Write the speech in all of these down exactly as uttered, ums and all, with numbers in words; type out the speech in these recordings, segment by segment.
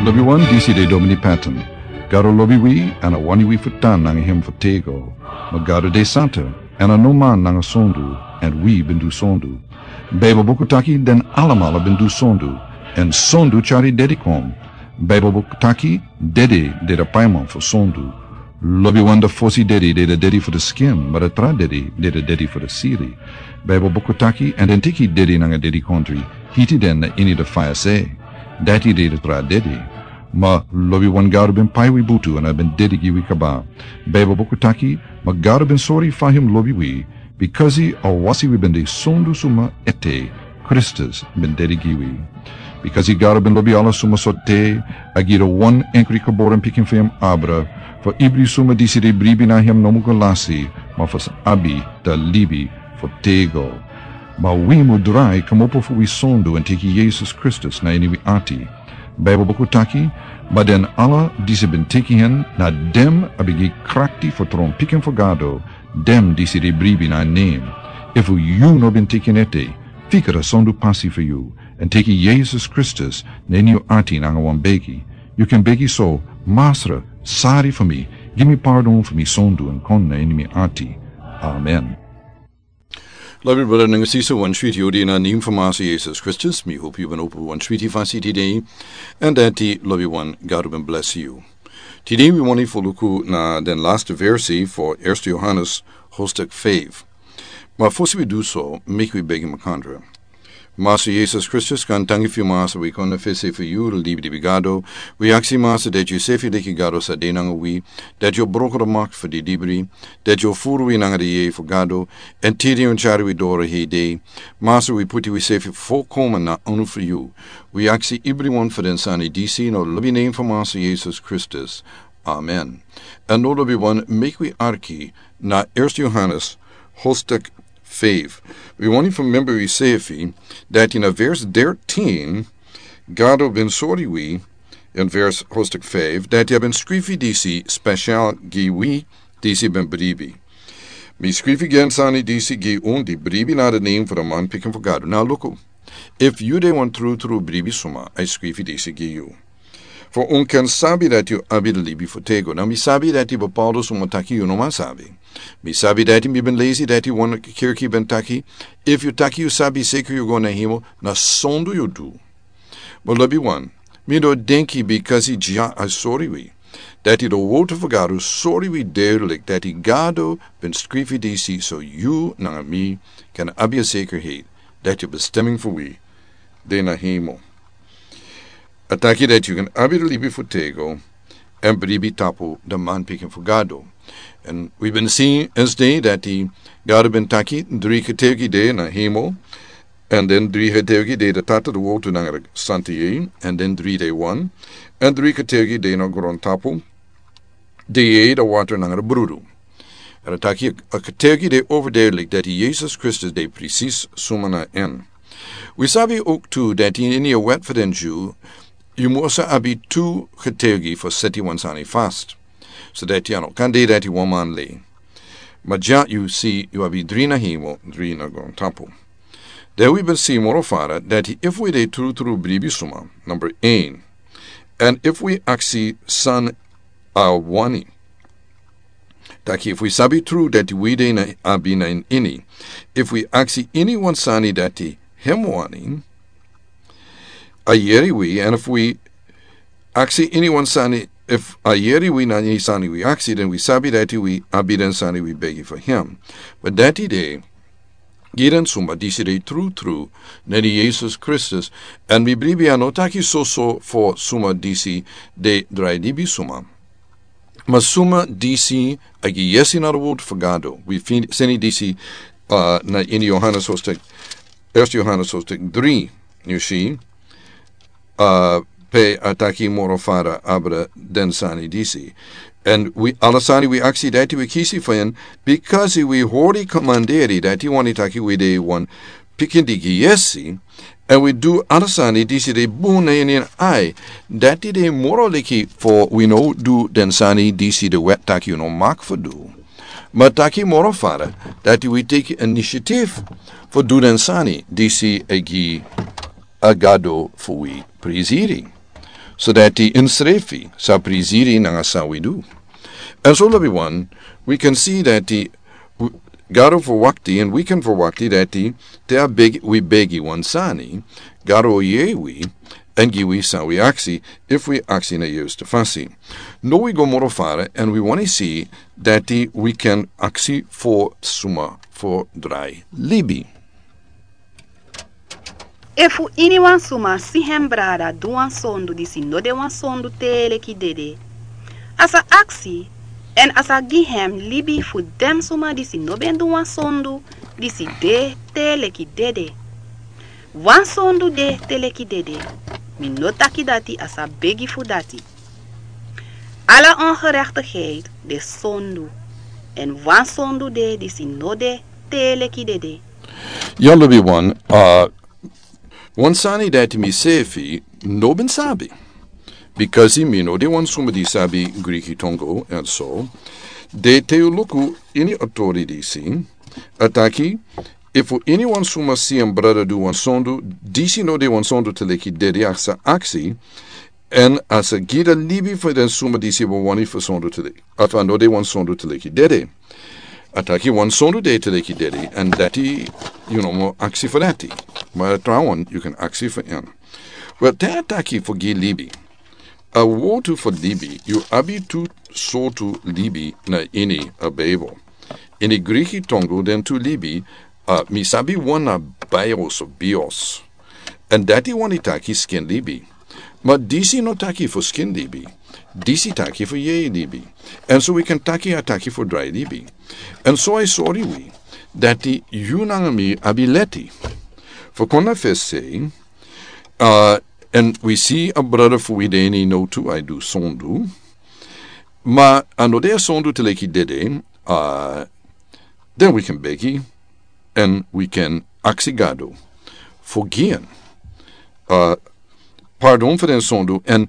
Lobiwan, disi de Domini Patton. Gado lobi wi, èn a wani wi fu tan nanga hem fu tego. Ma Gado de santa, èn a no man nanga sondu, èn wi ben du sondu. Baibel buku taki den alamala ben du sondu, èn sondu tyari dedi kon. Baibel buku taki dede de da paiman fu sondu. Lobiwan, da fosi dedi de da dedi fu da skin, ma da tra dedi de da dedi fu da siri. Baibel buku taki, èn den teki dedi nanga dedi kondri, hiti den na ini da faya se. Dati de da tra dedi. Ma lobiwan, Gado ben pai wi butu èn a ben dedi gi wi kaba. Baibel buku taki, ma Gado ben sori fa hem lobi wi, bikasi a wasi wi ben de sondu suma ete, Kristus ben dedi gi wi. Bikasi Gado ben lobi ala suma so te, a gi da wan enkri geboren pikin fu hem abra, fu ibri suma disi de bribi na hem no mu go lasi, ma fu sa abi da libi fu tego. Ma wi mu drai kmopo fu wi sondu èn teki Yesus Kristus na ini wi ati. Baibel buku taki, ma den ala disi ben teki hen, na den a ben gi krakti fu tron pikin fu Gado, den disi de bribi na nen. Efu yu no ben teki en ete, fika da sondu pasi fu yu, èn teki Yesus Kristus na ini yu ati nanga wan begi. Yu kan begi so: Masra, sari fu mi, gi mi pardon fu mi sondu èn kon na ini mi ati. Amen. Lobi brada nanga sisa, wan switi odi na nen fu Masa Yesus Kristus. Mi hopu yu ben opo wan switi fasi tide, èn dati lobiwan, Gado ben blesi yu. Tide wi wani fu luku na den lasti versi fu Erste Yohanes hostek feifi. Ma fosi wi du so, meki wi begi makandra. Masa Yesus Kristus, gaantangi fu yu, Masa, wi kon na fesi fu yu, libidibri Gado. Wi aksi, Masa, dati yu sefi leki Gado sa de nanga wi, dati yu o broko da makti fu didibri, dati yu o furu wi nanga da yeye fu Gado, èn tide yu o tyari wi doro hei dei. Masa, wi puti wi sefi folkomen na ini fu yu. Wi aksi ibriwan fu den sani disi na lobi nen fu Masa Yesus Kristus. Amen. Èn now lobiwan, meki wi arki na Erste Yohanes hostek feifi. Wi wani fu memba wi sefi dati na vers dertien, Gado ben sori wi, in vers hostek feifi, dati a ben skrifi disi spesial gi wi disi ben bribi. Mi skrifi den sani disi gi un di bribi na da nen fu da manpikin fu Gado. Now luku, efu yu de wan trutru bribi suma, a skrifi disi gi yu. Fu un kan sabi dati yu abi da libi fu tego. Now mi sabi dati bepaalde suma taki yu no man sabi. Mi sabi dati, mi ben lesi dati wan kerki ben taki, efu yu taki yu sabi seka yu go na hemel, na sondu yu du. Ma lobiwan, mi no denki bikasi dya a sori wi. Dati da wortu fu Gado sori wi duidelijk dati Gado ben skrifi disi so yu nanga mi kan abi a sekerheid dati a bestemming fu wi de na hemel. A taki dati yu kan abi da libi fu tego èn bribi tapu da manpikin fu Gado. Èn wi ben si esde dati Gado ben taki dri getuigi de na hemel, èn den dri getuigi de, da Tata, da Woord nanga da Santa Yeye, èn den dri de wan, èn dri getuigi de na grontapu, da Yeye, da Water nanga da Brudu. Èn a taki a getuigi de overduidelijk dati Yesus Kristus de precies suma na en. Wi sabi ook tu dati ini a wet fu den Dyu, yu mus abi tu getuigi fu seti wan sani vast. So dati a no kan de dati wan man lei. Ma dya yu si yu abi dri na hemel, dri na grontapu. Dan wi ben si moro fara dati efu wi de trutru bribi suma, number een. Èn efu wi aksi san a wani. Taki efu wi sabi tru dati wi de na abi na ini. Efu wi aksi ini wan sani dati hem wani, a yere wi, èn efu wi aksi ini wan sani, efu a yere wi na ini sani wi aksi, dan wi sabi dati wi abi den sani wi begi fu hem. Ma dati de gi den suma disi de trutru na ini Yesus Kristus, èn mi bribi a no taki soso fu suma disi de drai libi suma. Ma suma disi a gi yesi na da Woord fu Gado. Wi feni disi, uh, na ini Yohanes hostek, Erste Yohanes hostek dri, yu si, uh, pe a taki moro fara abra den sani disi. Èn wi, ala sani wi aksi dati wi kisi fu en, bikasi wi hori komanderi dati wani taki wi de wan pikin di gi yesi, èn wi du ala sani disi de bun na ini en ai, dati de moro leki fu wi no du den sani disi da wet taki yu no mag fu du. Ma taki moro fara dati wi teki initiative fu du den sani disi e gi a Gado fu wi prisiri. So dati ensrefi sa priziri nanga san wi du. And so lobi wan, wi kan si dati, gado verwakti and wi kan verwakti dati te a begi wi begi wan sani, gado o yei wi, and gi wi san wi aksi, if wi aksi na yus te fasi. No wi go moro fara and wi wani si dati wi kan aksi for suma for drai libi. Efu iniwan suma si hen brada du wan sondu disi no de wan sondu te leki dede, a sa aksi, èn a sa gi hen libi fu den suma disi no ben du wan sondu disi de te leki dede. Wan sondu de te leki dede. Mi no taki dati a sa begi fu dati. Ala ongerechtigheid de sondu, èn wan sondu de disi no de te leki dede. Ya lobi wan, wan sani dati mi sefi no ben sabi. Bikasi mi no de wan suma di sabi Griki tongo èn so, de te yu luku ini a tori disi, a taki, efu iniwan suma si en brada du wan sondu disi no de wan sondu te leki dede, a sa aksi, èn a sa gi den libi fu den suma disi ben wani fu sondu te leki, efu a no de wan sondu te leki dede. A taki wan sondu de te leki dede, èn dati yu no mu aksi fu dati. Ma a trawan yu kan aksi fu en. Wel, te a taki fu gi libi. A wortu fu libi, yu abi tu sortu libi na ini a Bijbel. Ini Griki tongo den tu libi, mi sabi wan na bios of bios. Èn dati wani taki skin libi. Ma disi no taki fu skin libi. Disi taki fu yeye libi. Èn so wi kan taki a taki fu drai libi. Èn so a e sori wi dati yu nanga mi abi leti. Fu kon na fesi sei, èn wi si a brada fu wi de ini no tu a e du sondu. Ma a no de a sondu te leki dede, den wi kan begi, èn wi kan aksi gado fu gi en pardon fu den sondu, èn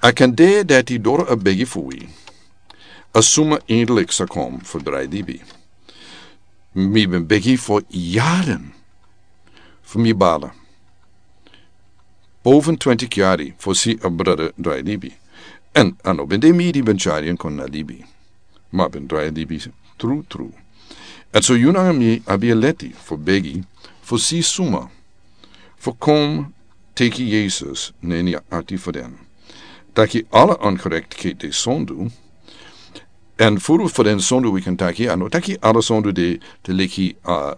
a kan de dati doro a begi fu wi. A suma eindelijk sa kon fu drai libi. Mi ben begi fu yaren fu mi bala. Boven twintig yari fu si a brada drai libi. Èn a no ben de mi di ben tyari en kon na libi. Ma ben drai libi tru tru. Èn so yu nanga mi abi a leti fu begi fu si suma fu kon teki Yesus na ini a ati fu den. Taki ala ongerechtigheid de sondu. Èn furu fu den sondu wi kan taki, a no taki ala sondu de te leki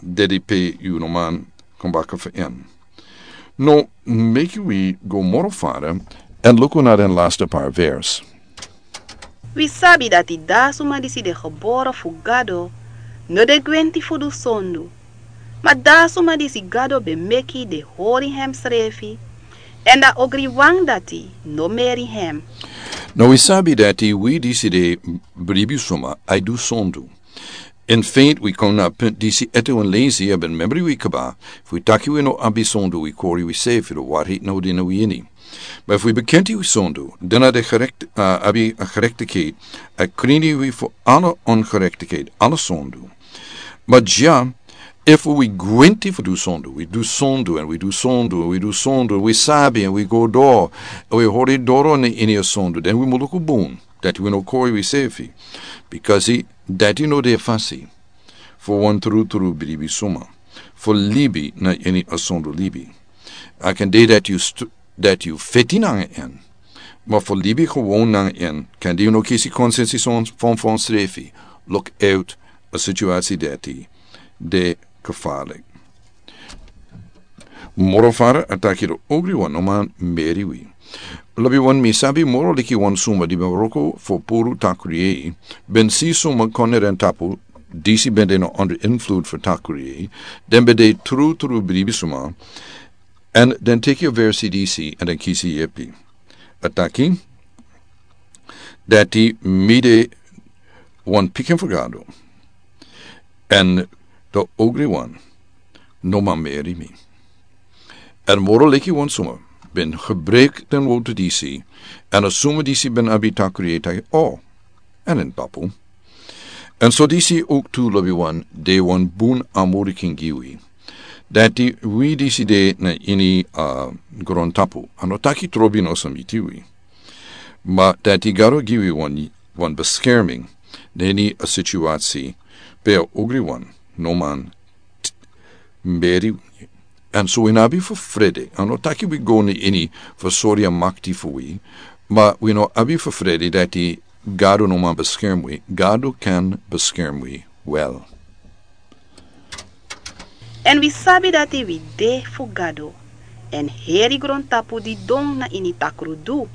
dede pe yu no man kon baka fu en. No, meki wi go moro fara èn luku na den laste par vers. Wi sabi dati da suma disi de gebore fu Gado no de gwenti fu du sondu. Ma da suma disi Gado ben meki de hori hemsrefi, èn da ogriwan dati no meri hem. No, wi sabi dati wi disi de bribi suma a e du sondu. In feite wi kon na a punt disi ete wan lesi a ben membri wi kaba, fu wi taki wi no abi sondu wi kori wi sefi, de warheid no de na wi ini. Ma efu wi bekenti wi sondu, den a de gerekt, abi a gerechtigheid, a krini wi fu ala ongerechtigheid, ala sondu. Ma dya, efu wi gwenti fu du sondu, wi du sondu èn wi du sondu èn wi du sondu èn wi sabi èn wi go doro, èn wi hori doro na ini a sondu, den wi muluku bun dati wi no kori wi sefi. Bikasi dati no de fasi fu wan trutru bribi suma fu libi na ini a sondu libi. A kan de dati yu feti nanga en, ma fu libi gewon nanga en, kan de yu no kisi konsensi son fon fon srefi. Luk uit a situasi dati de gefarlik. Moro fara a taki de ogri wan no man meri wi. Lobi wan, mi sabi moro liki wan suma di ben wroko fu puru takri yei, ben si suma kon na den tapu disi ben de no under influed fu takri yei, den ben de trutru bribi suma, èn den teki a versi disi èn den kisi yepi. A taki dati mi de wan pikin fu Gado, èn de ogri wan no man meri mi. Èn moro leki wan suma ben gebreki den wortu disi, èn a suma disi ben abi takri yei taki o, èn den tapu. Èn so disi owktu lobi wan de wan bun amurikin gi wi. Dati wi disi de na ini a grontapu, a no taki trobi no sa miti wi. Ma dati Gado gi wi wan, wan beskerming na ini a situasi pe a ogri wan no man t-, mberi wi. Èn so wi no abi fu frede, a no taki wi go na ini fu sori a makti fu wi, ma wi no abi fu frede dati Gado no man beskerm wi, Gado kan beskerm wi wel. Èn wi sabi dati wi de fu Gado, èn heri grontapu didon na ini takrudu.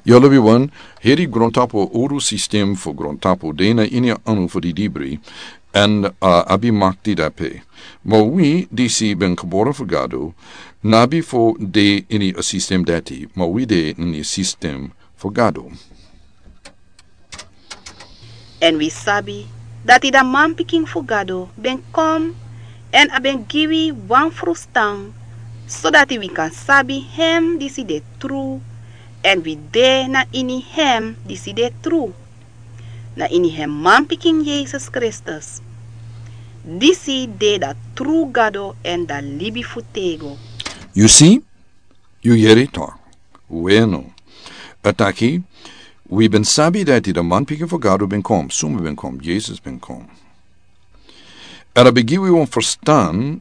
Yu lobi wan, heri grontapu, uru sistem fu grontapu de na ini a anu fu di dibri, èn, uh, abi makti dape. Ma wi disi ben gebore fu Gado, no abi fu de ini a sistem dati, ma wi de ini a sistem fu Gado. Èn wi sabi dati da manpikin fu Gado ben kon, èn a ben gi wi wan frustan, sodati wi kan sabi hem disi de tru, èn wi de na ini hem disi de tru, na ini hem manpikin Yesus Kristus. Disi de da tru Gado èn da libi fu tego. Yu si? Yu yeri tok. Weno. A taki, wi ben sabi dati da manpikin fu Gado ben kon, suma ben kon, Yesus ben kon. Èn a ben gi wi wan ferstan,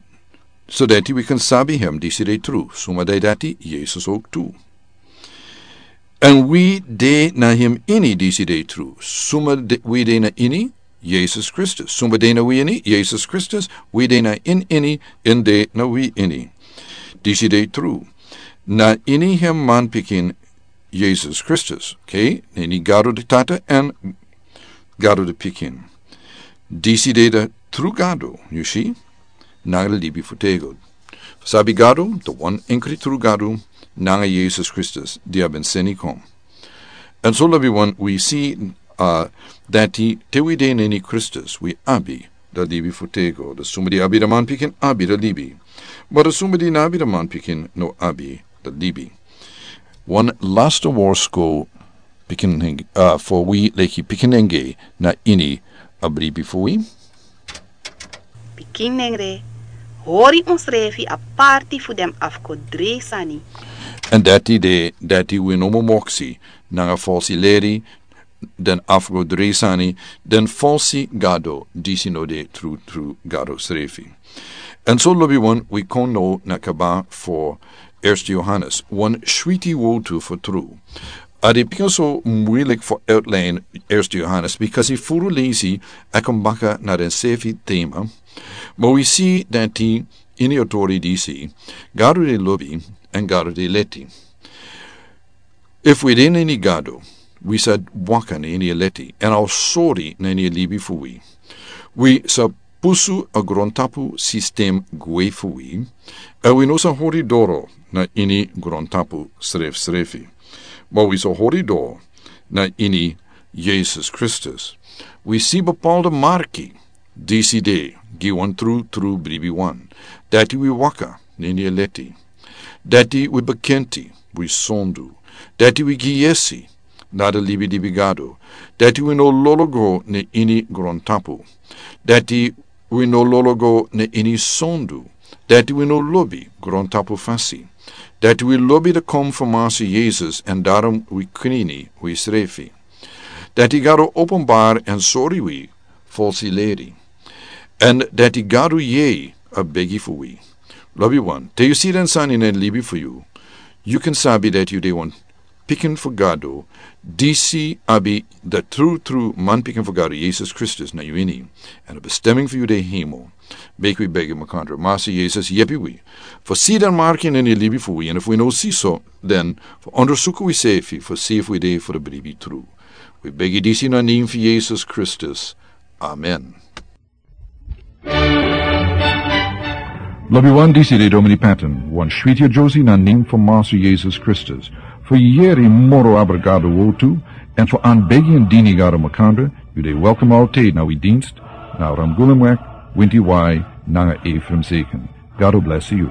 sodati wi kan sabi hem disi de tru, suma de dati, Yesus ok tu. Èn wi de na hem ini disi de tru, suma de, wi de na ini, Yesus Kristus. Suma de na wi ini, Yesus Kristus, wi de na in ini, in de na wi ini. Disi de tru. Na ini hem manpikin Yesus Kristus, okay? Na ini Gado de Tata èn Gado de Pikin. Disi de da tru Gado, yu si? Nanga da libi fu tego. Sabi Gado, da wan enkri tru Gado, nanga Yesus Kristus, di a ben seni kon. Èn so lobi wan wi si, uh, dati te wi de na ini Kristus, wi abi da libi fu tego, da suma di abi da manpikin abi da libi. Ma da suma di no abi da manpikin no abi da libi. Wan lasta worsko pikin neng-, uh, fu wi leki pikin nengre na ini a bribi fu wi. Pikin nengre, hori unsrefi aparti fu den afgodresani. Èn dati de, dati wi no mu moksi, nanga falsi leri, den afgodresani, den falsi gado, disi no de tru, tru Gado srefi. Èn so lobi wan, wi kon now na kaba fu Eerste Johannes, wan switi wortu fu tru. A de pikin so muilik fu outline Eerste Johannes, because yu furu leisi, a kon baka na den srefi tema. Ma wi si dati ini a tori disi, Gado de lobi, èn Gado de leti. Efu wi de na ini Gado, wi sa waka na ini a leti, èn a o sori na ini a libi fu wi. Wi sa pusu a grontapu sistem gwe fu wi, èn wi no sa hori doro na ini grontapu srefsrefi. Ma wi sa hori doro na ini Yesus Kristus. Wi si bepaalde marki, disi de, gi wan tru, tru bribi wan. Dati wi waka, na ini a leti. Dati wi bekenti, wi sondu. Dati wi gi yesi, na a libi, libi Gado. Dati wi no lolo go na ini grontapu. Dati wi no lolo go na ini sondu. Dati wi no lobi grontapu fasi. Dati wi lobi da kon fu Masi Yesus, èn daarom wi krini wisrefi. Dati Gado openbari èn sori wi falsi leri. Èn dati Gado yere a begi fu wi. Lobi wan, te yu si den sani na a libi fu yu, yu kan sabi dati yu de wan pikin fu Gado, disi abi da tru, tru manpikin fu Gado, Yesus Kristus na yu ini. Èn a bestemming fu yu de hemel. Meki wi begi makandra, Masi Yesus, yepi wi fu si den marki na a libi fu wi, èn efu wi no si so, den fu ondersuku wisrefi fu si efu wi de fu da bribi tru. Wi begi disi na a nen fu Yesus Kristus. Amen. Lobi wan, disi de Domini Patton, wan switi a Josie na a nen fu Masi Yesus Kristus. Fu yere moro abra Gado wortu, èn fu anbegi èn dini Gado makandra, yu de welkom altijd na wi dienst, na Ramgulumweg, winti wai, nanga Ephraim Seken. Gado blesi yu.